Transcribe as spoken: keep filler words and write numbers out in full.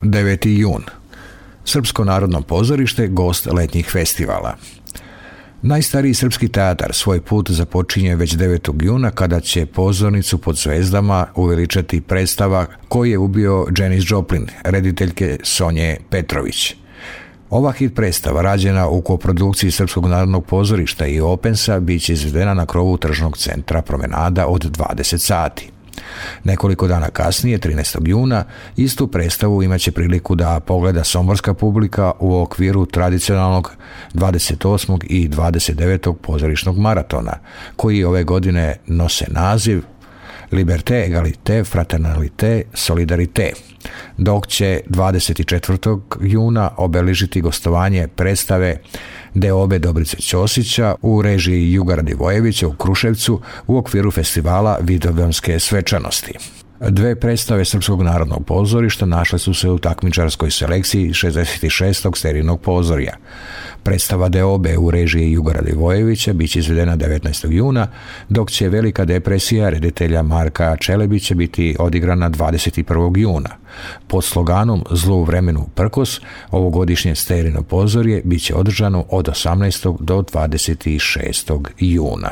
deveti jun. Srpsko narodno pozorište gost letnjih festivala. Najstariji srpski teatar svoj put započinje već devetog juna kada će pozornicu pod zvezdama uveličati predstava Ko je ubio Janis Joplin, rediteljke Sonje Petrović. Ova hit predstava, rađena u koprodukciji Srpskog narodnog pozorišta i Opensa, bit će izvedena na krovu tržnog centra Promenada od dvadeset sati. Nekoliko dana kasnije, trinaestog juna, istu predstavu imaće priliku da pogleda somborska publika u okviru tradicionalnog dvadeset osmog i dvadeset devetog pozorišnog maratona, koji ove godine nose naziv Liberté, Egalité, Fraternalité, Solidarité, dok će dvadeset četvrtog juna obeležiti gostovanje predstave Deobe Dobrice Ćosića u režiji Juga Radivojevića u Kruševcu u okviru festivala Vidovdanske svečanosti. Dve predstave Srpskog narodnog pozorišta našle su se u takmičarskoj selekciji šezdeset šestog serijnog pozorja. Predstava Deobe u režiji Juga Radivojevića bit će izvedena devetnaestog juna, dok će Velika depresija reditelja Marka Čelebića biti odigrana dvadeset prvog juna. Pod sloganom Zlu vremenu prkos, ovogodišnje serijno pozorje bit će održano od osamnaestog do dvadeset šestog juna.